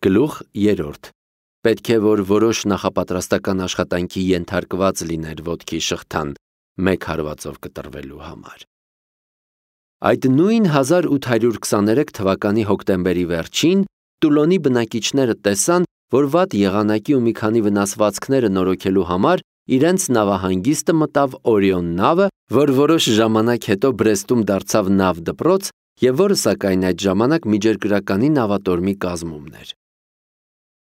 Գլուխ 3. Պետք է, որ որոշ նախապատրաստական աշխատանքի ենթարկված լիներ ոտքի շղթան, 1 հարվածով կտրվելու համար։ Այդ նույն 1823 թվականի հոկտեմբերի վերջին Տուլոնի բնակիչները տեսան, որ վատ եղանակի ու մի քանի վնասվածքները նորոգելու համար իրենց նավահանգիստը մտավ Օրիոն նավը, որ որոշ ժամանակ հետո Բրեստում դարձավ նավ դպրոց և որը սակայն այդ ժամանակ միջերկրականի նավատորմի կազմումն էր։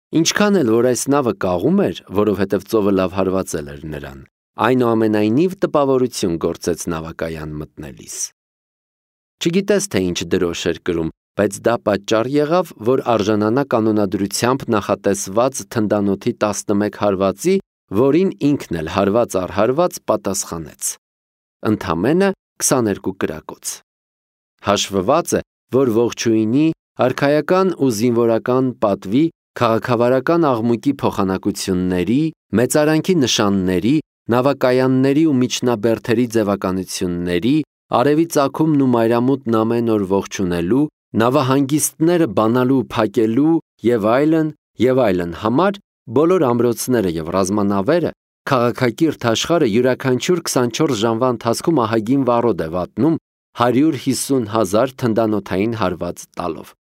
Ինչքան էլ որ այս նավը կաղում էր, որովհետև ծովը լավ հարվածել էր նրան, այնուամենայնիվ տպավորություն գործեց նավակայան մտնելիս։ Չգիտես, թե ինչ դրոշ էր կրում, բայց դա պատճառ եղավ, որ արժանանա կանոնադրությամբ նախատեսված թնդանոթի 11 հարվածի, որին ինքն էլ հարված առ հարված պատասխանեց։ Ընդամենը 22 կրակոց։ Հաշվված է, որ ողջույնի, արքայական ու զինվորական պատվի, քաղաքավարական աղմուկի փոխանակությունների, մեծարանքի նշանների, նավակայանների ու միջնաբերդերի ձևականությունների, արևի ծագումն ու մայրամուտն ամեն օր ողջունելու, նավահանգիստները բանալու, փակելու և այլն համար բոլոր ամրոցները և ռազմանավերը, քաղաքակիրթ աշխարհը յուրաքանչյուր 24 ժամվա ընթացքում ահագին վառոդ է վատնում 150,000 թնդանոթային հարված տալով։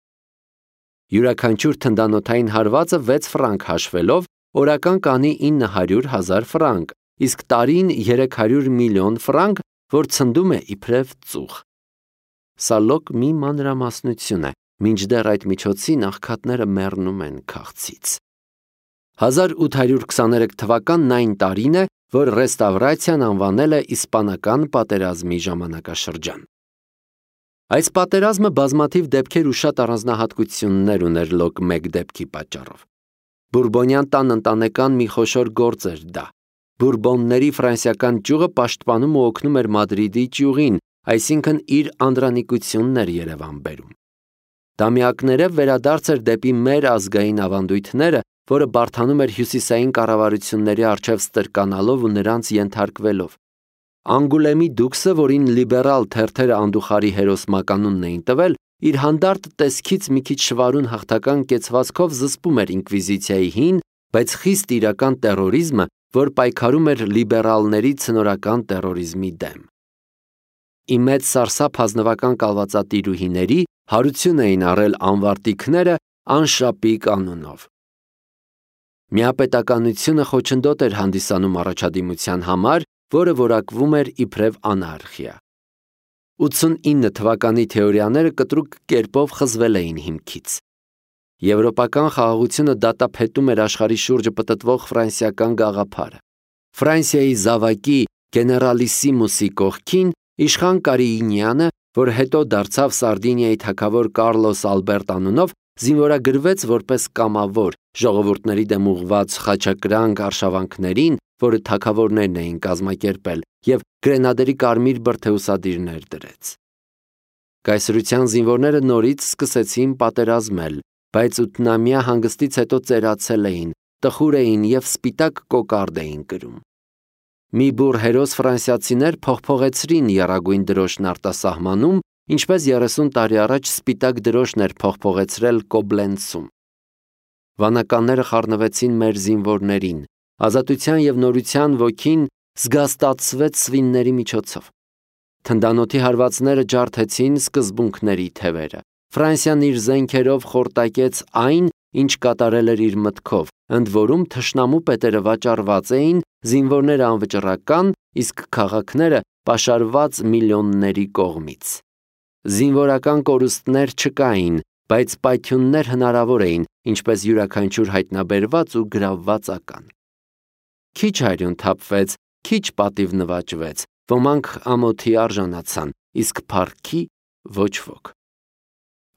Յուրաքանչյուր թնդանոթային հարվածը 6 ֆրանկ հաշվելով օրական կանի 900,000 ֆրանկ, իսկ տարին 300 միլիոն ֆրանկ, որ ցնդում է իբրև ծուխ։ Սա լոկ մի մանրամասնություն է, մինչդեռ այդ միջոցին աղքատները մեռնում են քաղցից։ 1823 թվականն այն տարին է, որ ռեստավրացիան անվանել է իսպանական պատերազմի ժամանակաշրջան։ Այս պատերազմը բազմաթիվ դեպքեր ու շատ առանձնահատկություններ ուներ լոկ մեկ դեպքի պատճառով։ Բուրբոնյան տան ընտանեկան մի խոշոր գործ էր դա։ Բուրբոնների ֆրանսիական ճյուղը պաշտպանում ու օգնում էր Մադրիդի ճյուղին, այսինքն իր անդրանիկությունն էր Երևան բերում։ Դամյակներով վերադարձ էր դեպի մեր ազգային ավանդույթները, որը բարդանում էր հյուսիսային կառավարությունների առջև ստրկանալով ու նրանց ենթարկվելով։ Անգուլեմի դուքսը, որին լիբերալ թերթերը անդուխարի հերոսմականունն էին տվել, իր հանդարտ տեսքից մի քիչ շվարուն հաղթական կեցվածքով զսպում էր ինկվիզիցիայի հին, բայց խիստ իրական տերորիզմը, որ պայքարում էր լիբերալների ցնորական տերորիզմի դեմ։ Ի մեծ սարսափ ազնվական կալվածատիրուհիների հարություն էին առել անվարտիքները անշապի կանոնով։ Միապետականությունը խոչընդոտ էր հանդիսանում առաջադիմության համար, որը որակվում էր իբրև անարխիա։ 89 թվականի թեորիաները կտրուկ կերպով խզվել էին հիմքից։ Եվրոպական խաղաղությունը դատապետում էր աշխարհի շուրջը պտտվող ֆրանսիական գաղափարը։ Ֆրանսիայի զավակի գեներալիսիմուսի կողքին իշխան Կարիինյանը, որ հետո դարձավ Սարդինիայի թագավոր Կարլոս Ալբերտ անունով, զինվորագրվեց որպես կամավոր ժողովուրդների դեմ ուղղված խաչակրանք արշավանքներին, որը թագավորներն էին կազմակերպել, և գրենադերի կարմիր բրդեուսադիրներ դրեց։ Կայսրության զինվորները նորից սկսեցին պատերազմել, բայց ութնամյա հանգստից հետո ծերացել էին, տխուր էին և սպիտակ կոկարդ էին կրում։ Մի բուռ հերոս ֆրանսիացիներ փողփողեցրին եռագույն դրոշն արտասահմանում, ինչպես 30 տարի առաջ սպիտակ դրոշն էր փողփողեցրել Կոբլենցում։ Վանականները խառնվեցին մեր զինվորներին, ազատության և նորության ոգին զգաստացվեց սվինների միջոցով։ Թնդանոթի հարվածները ջարդեցին սկզբունքների թևերը։ Ֆրանսիան իր զենքերով խորտակեց այն, ինչ կատարել էր իր մտքով, ընդ որում թշնամու պետերը վաճառված էին, զինվորները անվճռական, իսկ քաղաքները պաշարված միլիոնների կողմից։ Զինվորական կորուստներ չկային, բայց պայթյուններ հնարավոր էին, ինչպես յուրաքանչյուր հայտնաբերված ու գրավված ական։ Քիչ արյուն թափվեց, քիչ պատիվ նվաճվեց, ոմանք ամոթի արժանացան, իսկ փառքի ոչ ոք։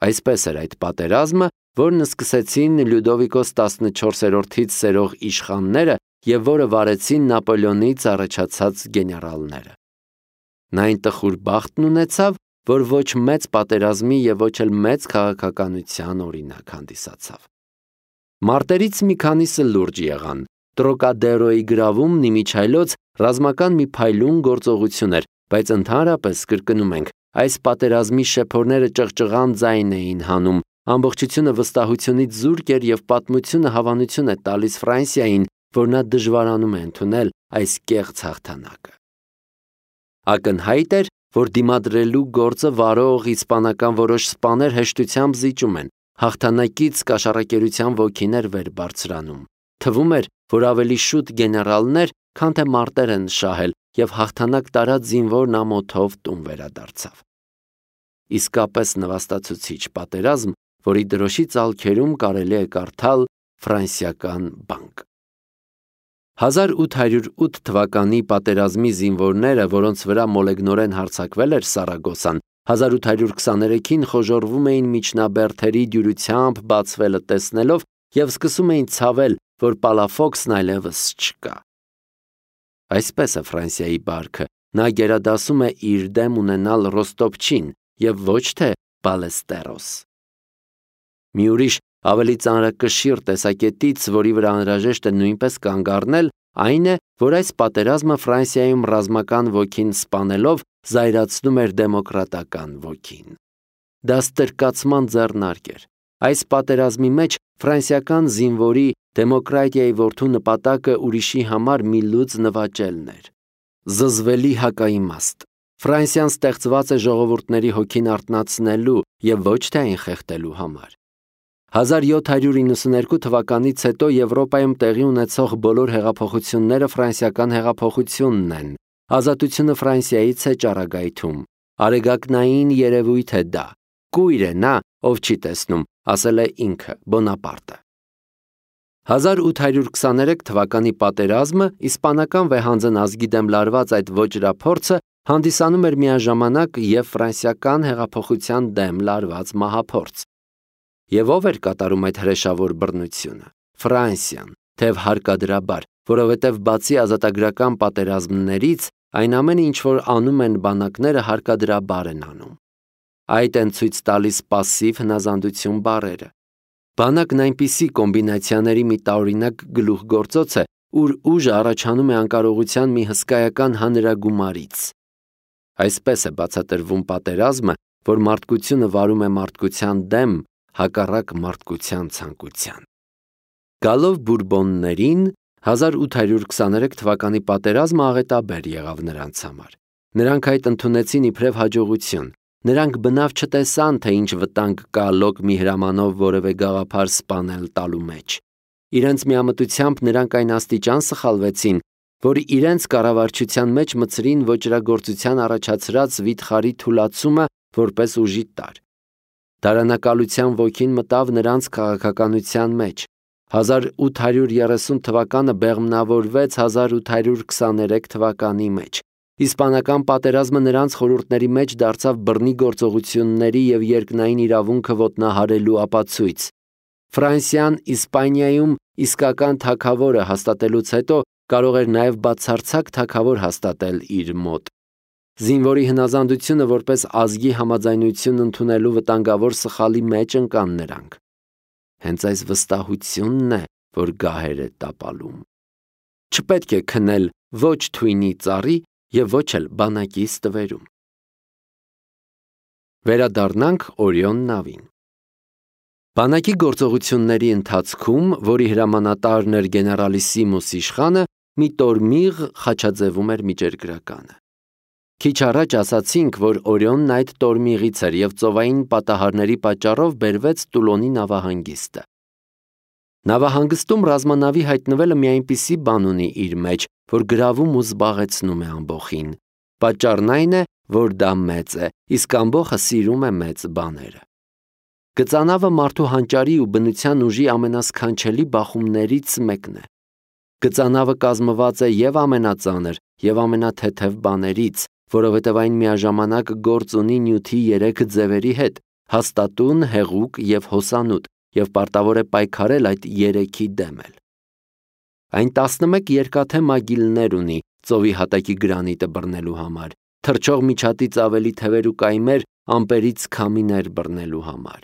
Այսպես էր այդ պատերազմը, որն սկսեցին Լյուդովիկոս 14-ից սերող իշխանները և որը վարեցին Նապոլեոնից առաջացած գեներալները։ Նա այն տխուր բախտն ունեցավ, որ ոչ մեծ պատերազմի և ոչ էլ մեծ քաղաքականության օրինակ հանդիսացավ։ Մարտերից մի քանիսը լուրջ եղան։ Տրոկադերոյի գրավումն իմիջայլոց ռազմական մի փայլուն գործողություն էր, բայց ընդհանրապես կրկնում ենք, այս պատերազմի շեփորները ճղճղան ձայն էին հանում, Ամբողջությունը վստահությունից զուրկ էր և պատմությունը հավանություն է տալիս Ֆրանսիային, որ նա դժվարանում է ընդունել այս կեղծ հաղթանակը։ Ակնհայտ էր, որ դիմադրելու գործը վարող իսպանական որոշ սպաներ հեշտությամբ զիջում են, հաղթանակից կաշառակերության ոգին էր վեր բարձրանում։ Թվում էր, որ ավելի շուտ գեներալներ, քան թե մարտեր են շահել, և հաղթանակ տարած զինվորն ամոթով տուն վերադարձավ։ Իսկապես նվաստացուցիչ պատերազմ, որի դրոշի ծալքերում կարելի է կարդալ ֆրանսիական բանկ։ 1808 թվականի պատերազմի զինվորները, որոնց վրա մոլեգնորեն հարձակվել էր Սարագոսան, 1823-ին խոժոռվում էին միջնաբերդերի դյուրությամբ բացվելը տեսնելով և սկսում էին ցավել, որ Պալաֆոքսն այլևս չկա։ Այսպես է Ֆրանսիայի բարքը, նա գերադասում է իր դեմ ունենալ Ռոստոպչին և ոչ թե Բալեստերոս։ Մի ուրիշ ավելի ծանրակշիռ տեսակետից, որի վրա անհրաժեշտ է նույնպես կանգ առնել, այն է, որ այս պատերազմը Ֆրանսիայում ռազմական ոգին սպանելով զայրացնում էր դեմոկրատական ոգին։ Դա ստրկացման ձեռնարկ էր։ Այս պատերազմի մեջ ֆրանսիական զինվորի դեմոկրատիայի որդու նպատակը ուրիշի համար մի լուծ նվաճելն էր։ Զզվելի հակաիմաստ։ Ֆրանսիան ստեղծված է ժողովուրդների հոգին արթնացնելու և ոչ թե այն խեղդելու համար։ 1792 թվականից հետո Եվրոպայում տեղի ունեցող բոլոր հեղափոխությունները ֆրանսիական հեղափոխությունն են։ Ազատությունը Ֆրանսիայից է ճառագայթում։ Արեգակնային երևույթ է դա։ Կույր է նա, ով չի տեսնում, ասել է ինքը Բոնապարտը։ 1823 թվականի պատերազմը, իսպանական վեհանձն ազգի դեմ լարված այդ ոճրափորձը հանդիսանում էր միաժամանակ և ֆրանսիական հեղափոխության դեմ լարված մահափորձ։ Եվ ով էր կատարում այդ հրեշավոր բռնությունը։ Ֆրանսիան, թեև հարկադրաբար, որովհետև բացի ազատագրական պատերազմներից, այն ամենը, ինչ որ անում են բանակները, հարկադրաբար են անում։ Այդ են ցույց տալիս պասիվ հնազանդություն բառերը։ Բանակն այնպիսի կոմբինացիաների մի տարօրինակ գլուխգործոց է, ուր ուժը առաջանում է անկարողության մի հսկայական հանրագումարից։ Այսպես է բացատրվում պատերազմը, որ մարդկությունը վարում է մարդկության դեմ, հակառակ մարդկության ցանկության։ Գալով Բուրբոններին, 1823 թվականի պատերազմը աղետաբեր եղավ նրանց համար։ Նրանք այդ ընդունեցին իբրև հաջողություն։ Նրանք բնավ չտեսան, թե ինչ վտանգ կա լոկ մի հրամանով որևէ գաղափար սպանել տալու մեջ։ Իրենց միամտությամբ նրանք այն աստիճան սխալվեցին, որ իրենց կառավարչության մեջ մտցրին ոճրագործության առաջացրած վիթխարի թուլացումը որպես ուժի տարր։ Դարանակալության ոգին մտավ նրանց քաղաքականության մեջ։ 1830 թվականը բեղմնավորվեց 1823 թվականի մեջ։ Իսպանական պատերազմը նրանց խորհուրդների մեջ դարձավ բռնի գործողությունների և երկնային իրավունքը ոտնահարելու ապացույց։ Ֆրանսիան Իսպանիայում իսկական թագավորը հաստատելուց հետո կարող էր նաև բացարձակ թագավոր հաստատել իր մոտ։ Զինվորի հնազանդությունը որպես ազգի համաձայնություն ընդունելու վտանգավոր սխալի մեջ ընկան նրանք։ Հենց այս վստահությունն է, որ գահեր է տապալում։ Չպետք է քնել ոչ թույնի ծառի և ոչ էլ բանակի ստվերում։ Վերադառնանք Օրիոն նավին։ Բանակի գործողությունների ընթացքում, որի հրամանատարն էր գեներալիսիմուս իշխանը, մի տորմիղ խաչաձևում էր միջերկրականը։ Քիչ առաջ ասացինք, որ Օրիոնն այդ տորմիղից էր և ծովային պատահարների պատճառով բերվեց Տուլոնի նավահանգիստը։ Նավահանգստում ռազմանավի հայտնվելը մի այնպիսի բան ունի իր մեջ, որ գրավում ու զբաղեցնում է ամբոխին։ Պատճառն այն է, որ դա մեծ է, իսկ ամբոխը սիրում է մեծ բաները։ Գծանավը մարդու հանճարի ու բնության ուժի ամենասքանչելի բախումներից մեկն է։ Գծանավը կազմված է և ամենածանր, և ամենաթեթև բաներից, որովհետև այն միաժամանակ գործ ունի նյութի 3 ձևերի հետ՝ հաստատուն, հեղուկ և հոսանոտ, և պարտավոր է պայքարել այդ 3-ի դեմ էլ։ Այն 11 երկաթե մագիլներ ունի ծովի հատակի գրանիտը բռնելու համար, թռչող միջատից ավելի թևեր ու կայմեր ամպերից քամիներ բռնելու համար։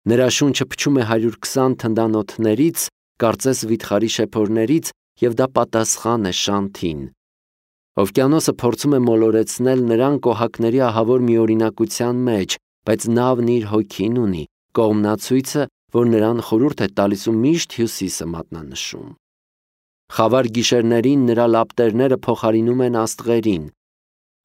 Նրա շունչը փչում է 120 թնդանոթներից, կարծես վիթխարի շեփորներից, և դա պատասխան է շանթին։ Օվկիանոսը փորձում է մոլորեցնել նրան կոհակների ահավոր մի օրինակության մեջ, բայց նավն իր հոգին ունի, կողմնացույցը, որ նրան խորհուրդ է տալիս ու միշտ հյուսիսը մատնանշում։ Խավար գիշերներին նրա լապտերները փոխարինում են աստղերին։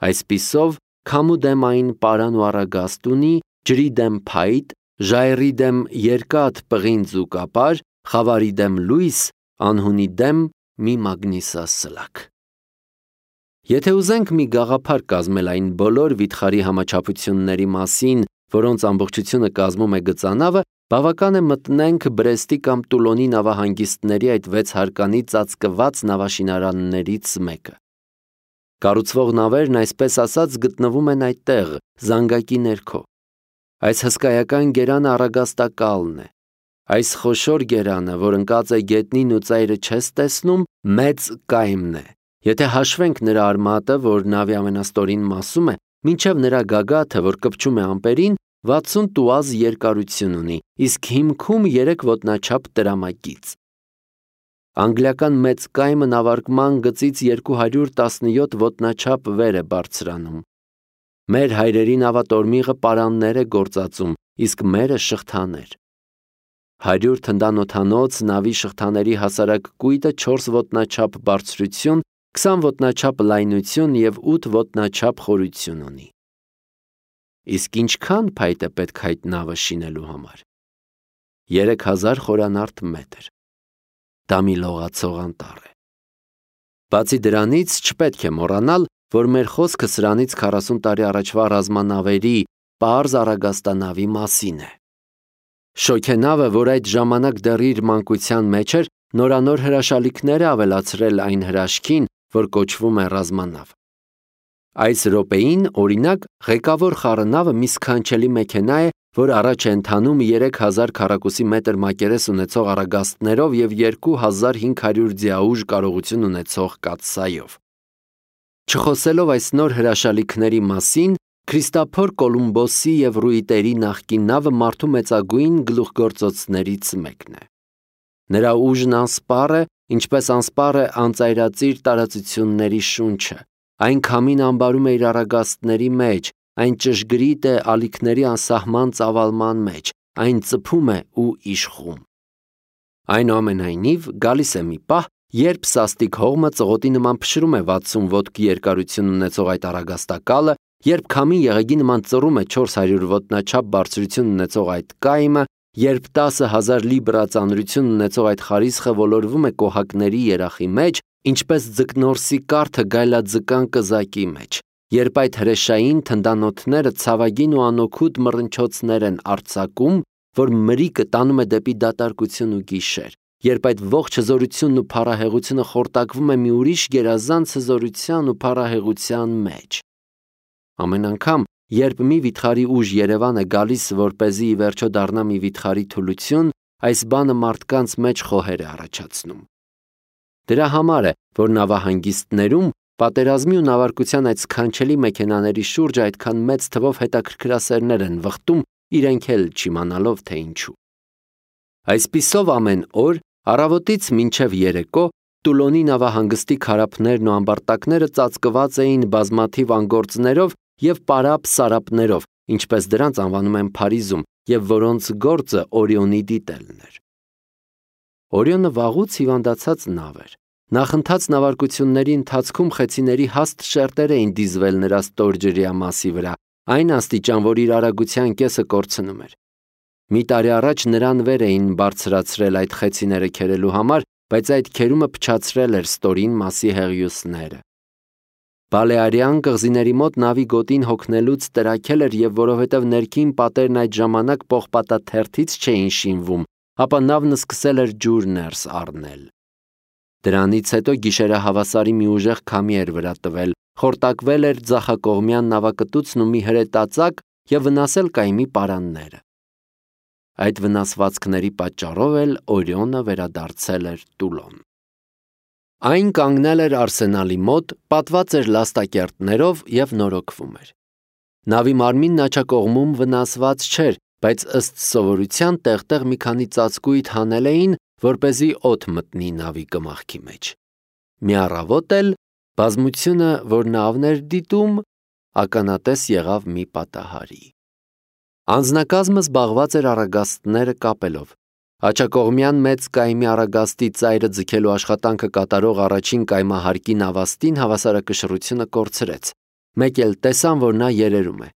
Այսպիսով, քամու դեմ այն պարան ու առագաստ ունի, ջրի դեմ փայտ, ժայռի դեմ երկաթ, պղինձ ու կապար, խավարի դեմ լույս, անհունի դեմ մի մագնիսասլաք։ Եթե ուզենք մի գաղափար կազմել այն բոլոր վիթխարի համաչափությունների մասին, որոնց ամբողջությունը կազմում է գծանավը, բավական է մտնենք Բրեստի կամ Տուլոնի նավահանգիստների այդ 6 հարկանի ծածկված նավաշինարաններից մեկը։ Կառուցվող նավերն այսպես ասած գտնվում են այդտեղ, զանգակի ներքո։ Այս հսկայական գերանը առագաստակալն է։ Այս խոշոր գերանը, որ ընկած է գետնին ու ծայրը չես տեսնում, մեծ կայմն է։ Եթե հաշվենք նրա արմատը, որ նավի ամենաստորին մասում է, մինչև նրա գագաթը, որ կպչում է ամպերին, 60 տուազ երկարություն ունի, իսկ հիմքում 3 ոտնաչափ տրամագիծ։ Անգլիական մեծ կայմը նավարկման գծից 217 ոտնաչափ վեր է բարձրանում։ Մեր հայրերի նավատորմիղը պարաններ է գործածում, իսկ մերը շղթաներ։ 100 թնդանոթանոց նավի շղթաների հասարակ կույտը 4 ոտնաչափ բարձրություն, 20 ոտնաչափ լայնություն և 8 ոտնաչափ խորություն ունի։ Իսկ ինչքան փայտ է պետք այդ նավը շինելու համար։ 3000 խորանարդ մետր։ Դա մի լողացող անտառ է։ Բացի դրանից չպետք է մոռանալ, որ մեր խոսքը սրանից 40 տարի առաջվա ռազմանավերի պարզ առագաստանավի մասին է։ Շոգենավը, որ այդ ժամանակ դեռ իր մանկության մեջ էր, նորանոր հրաշալիքներ է ավելացրել այն հրաշքին, որ կոչվում է ռազմանավ։ Այս րոպեին, օրինակ, ղեկավոր խառնավը մի սքանչելի մեքենա է, որ առաջ է ընթանում 3000 քառակուսի մետր մակերես ունեցող առագաստներով և 2500 ձիաուժ կարողություն ունեցող կաթսայով։ Չխոսելով այս նոր հրաշալիքների մասին, Քրիստոփոր Կոլումբոսի և Ռուիտերի նախկին նավը մարդու մեծագույն գլուխգործոցներից մեկն է։ Նրա ուժն անսպառ է, ինչպես անսպառ է անծայրածիր տարածությունների շունչը։ Այն քամին ամբարում է իր առագաստների մեջ, այն ճշգրիտ է ալիքների անսահման ծավալման մեջ, այն ծփում է ու իշխում։ Այնուամենայնիվ, գալիս է մի պահ, երբ սաստիկ հողմը ծղոտի նման փշրում է 60 ոտք երկարություն ունեցող այդ առագաստակալը, երբ քամին եղեգի նման ծռում է 400 ոտնաչափ բարձրություն ունեցող այդ կայմը, երբ 10,000 լիբրա ծանրություն ունեցող այդ խարիսխը ոլորվում է կոհակների երախի մեջ, ինչպես ձկնորսի կարթը գայլաձկան կզակի մեջ, երբ այդ հրեշային թնդանոթները ցավագին ու անօգուտ մռնչոցներ են արձակում, որ մրիկը տանում է դեպի դատարկություն ու գիշեր, երբ այդ ողջ հզորությունն ու փառահեղությունը խորտակվում է մի ուրիշ գերազանց հզորության ու փառահեղության մեջ։ Ամեն անգամ, երբ մի վիթխարի ուժ Երևան է գալիս, որպեսզի ի վերջո դառնա մի վիթխարի թուլություն, այս բանը մարդկանց մեջ խոհեր է առաջացնում։ Դրա համար է, որ նավահանգիստներում պատերազմի ու նավարկության այդ սքանչելի մեքենաների շուրջ այդքան մեծ թվով հետաքրքրասերներ են վխտում, իրենք էլ չիմանալով, թե ինչու։ Այսպիսով ամեն օր, առավոտից մինչև երեկո, Տուլոնի նավահանգստի քարափներն ու ամբարտակները ծածկված էին բազմաթիվ անգործներով և պարապ-սարապներով, ինչպես դրանց անվանում են Փարիզում, և որոնց գործը Օրիոնի դիտելն էր։ Օրիոնը վաղուց հիվանդացած նավ էր։ Նախընթաց նավարկությունների ընթացքում խեցիների հաստ շերտեր էին դիզվել նրա ստորջրյա մասի վրա, այն աստիճան, որ իր արագության կեսը կորցնում էր։ Մի տարի առաջ նրան վեր էին բարձրացրել այդ խեցիները քերելու համար, բայց այդ քերումը փչացրել էր ստորին մասի հեղիուսները։ Բալեարյան կղզիների մոտ նավի գոտին հոգնելուց տրաքել էր, և որովհետև ներքին պատերն այդ ժամանակ պողպատաթերթից չէին շինվում, ապա նավն սկսել էր ջուր ներս առնել։ Դրանից հետո գիշերահավասարի մի ուժեղ քամի էր վրա տվել, խորտակվել էր ձախակողմյան նավակտուցն ու մի հրետածակ և վնասել կայմի պարանները։ Այդ վնասվածքների պատճառով էլ Օրիոնը վերադարձել էր Տուլոն։ Այն կանգնել էր արսենալի մոտ, պատված էր լաստակերտներով և նորոգվում էր։ Նավի մարմինն աջակողմում վնասված չէր, բայց ըստ սովորության տեղ-տեղ մի քանի ծածկույթ հանել էին, որպեսզի օդ մտնի նավի կմախքի մեջ։ Մի առավոտ էլ բազմությունը, որ նավն էր դիտում, ականատես եղավ մի պատահարի։ Անձնակազմը զբաղված էր առագաստները կապելով։ Աջակողմյան մեծ կայմի առագաստի ծայրը ձգելու աշխատանքը կատարող առաջին կայմահարկի նավաստին հավասարակշռությունը կորցրեց։ Մեկ էլ տեսան, որ նա երերում է։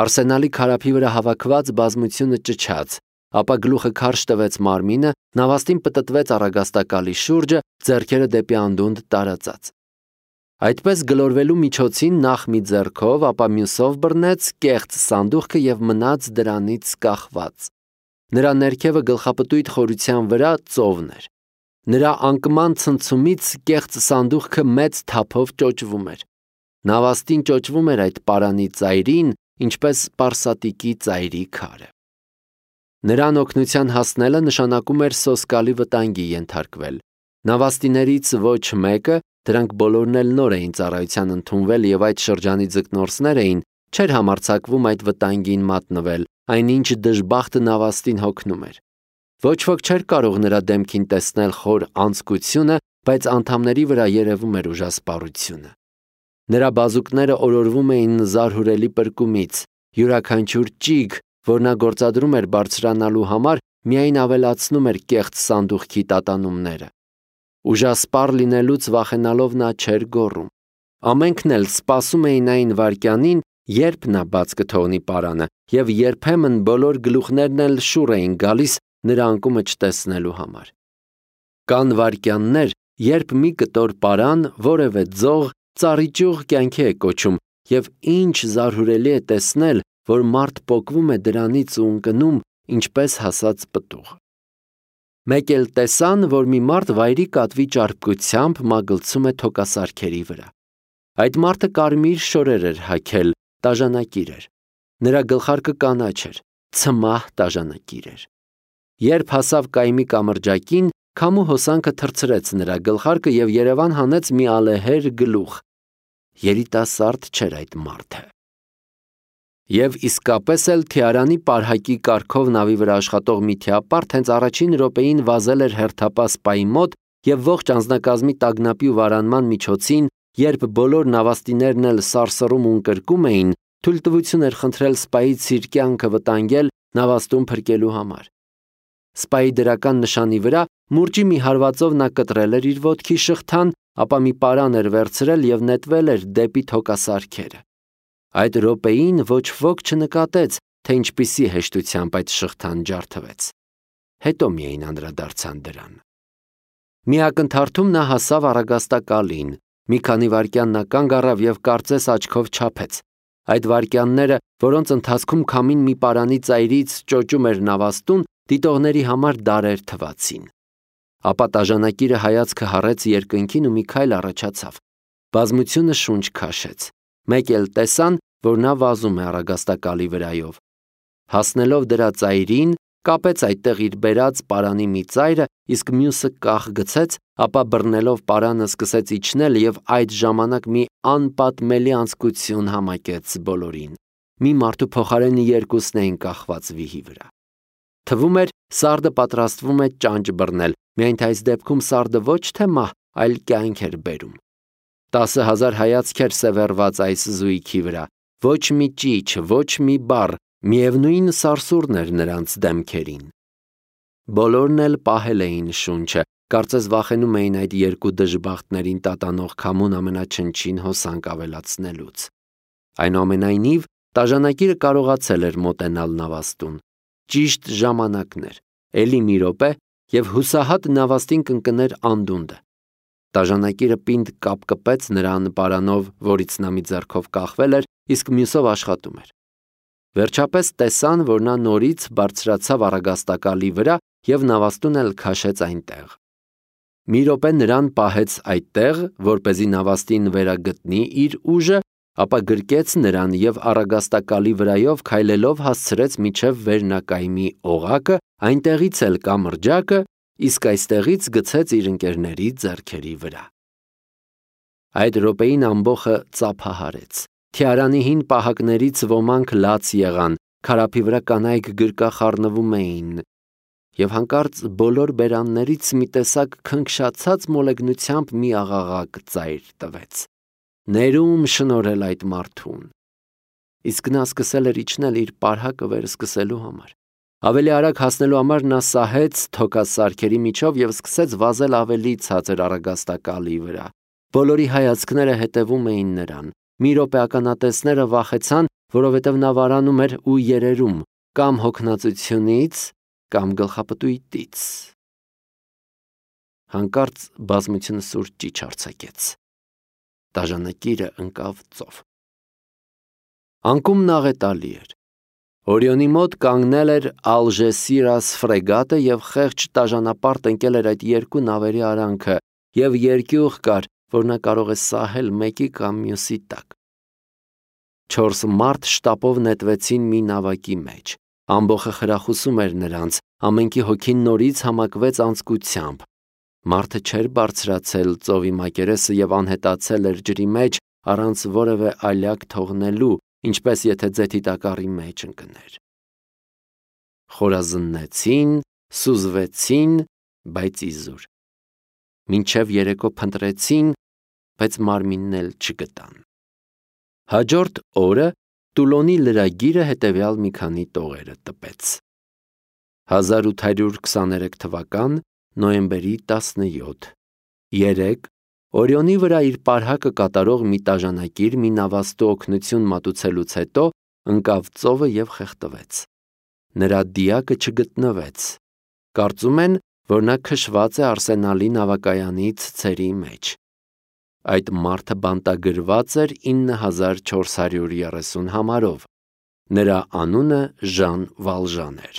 Արսենալի քարափի վրա հավաքված բազմությունը ճչաց, ապա գլուխը քարշ տվեց մարմինը, նավաստին պտտվեց առագաստակալի շուրջը, ձեռքերը դեպի անդունդ տարածած։ Այդպես գլորվելու միջոցին նախ մի ձեռքով, ապա մյուսով բռնեց կեղծ սանդուղքը և մնաց դրանից կախված։ Նրա ներքևը գլխապտույտ խորության վրա ծովն էր։ Նրա անկման ցնցումից կեղծ սանդուղքը մեծ թափով ճոճվում էր։ Նավաստին ճոճվում էր այդ պարանի ծայրին, ինչպես պարսատիկի ծայրի քարը։ Նրան օգնության հասնելը նշանակում էր սոսկալի վտանգի ենթարկվել։ Նավաստիներից ոչ մեկը, դրանք բոլորն էլ նոր էին ծառայության ընդունվել և այդ շրջանի ձկնորսներ էին, չէր համարձակվում այդ վտանգին մատնվել, այնինչ դժբախտը նավաստին հոգնում էր։ Ոչ ոք չէր կարող նրա դեմքին տեսնել խոր անձկությունը, բայց անդամների վրա երևում էր ուժասպառությունը։ Նրա բազուկները օրորվում էին զարհուրելի պրկումից, յուրաքանչյուր ճիգ, որ նա գործադրում էր բարձրանալու համար, միայն ավելացնում էր կեղծ սանդուղքի տատանումները։ Ուժասպառ լինելուց վախենալով նա չէր գոռում։ Ամենքն էլ սպասում էին այն վայրկյանին, երբ նա բաց կթողնի պարանը, և երբեմն բոլոր գլուխներն էլ շուռ էին գալիս նրա անկումը չտեսնելու համար։ Կան վայրկյաններ, երբ մի կտոր պարան, որևէ ձող, ծառիճյուղ կյանքի է կոչում, և ինչ զարհուրելի է տեսնել, որ մարդ պոկվում է դրանից ու ընկնում, ինչպես հասած պտուղ։ Մեկ էլ տեսան, որ մի մարդ վայրի կատվի ճարպկությամբ մագլցում է թոկասարքերի վրա։ Այդ մարդը կարմիր շորեր էր հագել, տաժանակիր էր։ Նրա գլխարկը կանաչ էր, ցմահ տաժանակիր էր։ Երբ հասավ կայմի կամրջակին, քամու հոսանքը թռցրեց նրա գլխարկը և Երևան հանեց մի ալեհեր գլուխ։ Երիտասարդ չէր այդ մարդը։ Եվ իսկապես էլ Թիարանի պարհակի կարգով նավի վրա աշխատող մի թիապարտ հենց առաջին րոպեին վազել էր հերթապահ սպայի մոտ և ողջ անձնակազմի տագնապի ու վարանման միջոցին, երբ բոլոր նավաստիներն էլ սարսռում ու ընկրկում էին, թույլտվություն էր խնդրել սպայից իր կյանքը վտանգել նավաստում փրկելու համար։ Սպայի դրական նշանի վրա մուրճի մի հարվածով նա կտրել էր իր ոտքի շղթան, ապա մի պարան էր վերցրել և նետվել էր դեպի թոկասարքերը։ Այդ րոպեին ոչ ոք չնկատեց, թե ինչպիսի հեշտությամբ այդ շղթան ջարդվեց։ Հետո միայն անդրադարձան դրան։ Մի ակնթարթում նա հասավ առագաստակալին, մի քանի վայրկյան նա կանգ առավ և կարծես աչքով չափեց։ Այդ վայրկյանները, որոնց ընթացքում քամին մի պարանի ծայրից ճոճում էր նավաստուն, դիտողների համար դարեր թվացին։ Ապա տաժանակիրը հայացքը հառեց երկնքին ու մի քայլ առաջացավ։ Բազմությունը շունչ քաշեց։ Մեկ էլ տեսան, որ նա վազում է առագաստակալի վրայով։ Հասնելով դրա ծայրին, կապեց այդտեղ իր բերած պարանի մի ծայրը, իսկ մյուսը կախ գցեց, ապա բռնելով պարանը սկսեց իջնել և այդ ժամանակ մի անպատմելի անձկություն համակեց բոլորին։ Մի մարդու փոխարեն երկուսն էին կախված վիհի վրա։ Թվում էր, սարդը պատրաստվում է ճանճ բռնել, միայն թե այս դեպքում սարդը ոչ թե մահ, այլ կյանք էր բերում։ 10,000 հայացք էր սևեռված այս զույգի վրա, ոչ մի ճիչ, ոչ մի բառ, միևնույն սարսուռն էր նրանց դեմքերին։ Բոլորն էլ պահել էին շունչը, կարծես վախենում էին այդ երկու դժբախտներին տատանող քամուն ամենաչնչին հոսանք ավելացնելուց։ Այնուամենայնիվ, տաժանակիրը կարողացել էր մոտենալ նավաստուն։ Ճիշտ ժամանակն էր, էլի մի րոպե, և հուսահատ նավաստին կընկներ անդունդը։ Տաժանակիրը պինդ կապկպեց նրան պարանով, որից նա մի ձեռքով կախվել էր, իսկ մյուսով աշխատում էր։ Վերջապես տեսան, որ նա նորից բարձրացավ առագաստակալի վրա և նավաստուն էլ քաշեց այնտեղ։ Մի րոպե նրան պահեց այդտեղ, որպեսզի նավաստին վերագտնի իր ուժը, ապա գրկեց նրան և առագաստակալի վրայով քայլելով հասցրեց մինչև վերնակայմի օղակը, այնտեղից էլ կամրջակը, իսկ այստեղից գցեց իր ընկերների ձեռքերի վրա։ Այդ րոպեին ամբոխը ծափահարեց։ Թիարանի հին պահակներից ոմանք լաց եղան, քարափի վրա կանայք գրկախառնվում էին, և հանկարծ բոլոր բերաններից մի տեսակ քնքշացած մոլեգնությամբ մի աղաղակ ծայր տվեց. «Ներում շնորհել այդ մարդուն»։ իսկ նա սկսել էր իջնել իր պարհակը վեր սկսելու համար։ Ավելի արագ հասնելու համար նա սահեց թոքած սարքերի միջով և սկսեց վազել ավելի ցածր առագաստակալի վրա։ Բոլորի հայացքները հետևում էին նրան։ Մի րոպե ականատեսները վախեցան, որովհետև նա վարանում էր ու երերում կամ հոգնածությունից, կամ գլխապտույտից։ Հանկարծ բազմությունը սուր ճիչ արձակեց։ Դաժանակիրը ընկավ ծով։ Անկումն աղետալի էր։ Օրիոնի մոտ կանգնել էր Ալժեսիրաս ֆրեգատը և խեղճ դաժանապարտ ընկել էր այդ երկու նավերի արանքը, և երկյուղ կար, որ նա կարող է սահել մեկի կամ մյուսի տակ։ 4 մարդ շտապով նետվեցին մի նավակի մեջ։ Ամբոխը խրախուսում էր նրանց, ամենքի հոգին նորից համակվեց անձկությամբ։ Մարդը չէր բարձրացել ծովի մակերեսը և անհետացել էր ջրի մեջ առանց որևէ ալյակ թողնելու, ինչպես եթե ձեթի տակառի մեջ ընկներ։ Խորազննեցին, սուզվեցին, բայց իզուր։ Մինչև երեկո փնտրեցին, բայց մարմինն էլ չգտան։ Հաջորդ օրը Տուլոնի լրագիրը հետևյալ մի քանի տողերը տպեց։ 1823 թվական նոյեմբերի 17 3 Օրիոնի վրա իր պարհակը կատարող մի տաժանակիր մի նավաստու օգնություն մատուցելուց հետո ընկավ ծովը և խեղդվեց։ Նրա դիակը չգտնվեց։ Կարծում են, որ նա քշված է Արսենալի նավակայանի ցցերի մեջ։ Այդ մարդը բանտագրված էր 9430 համարով։ Նրա անունը Ժան Վալժան էր։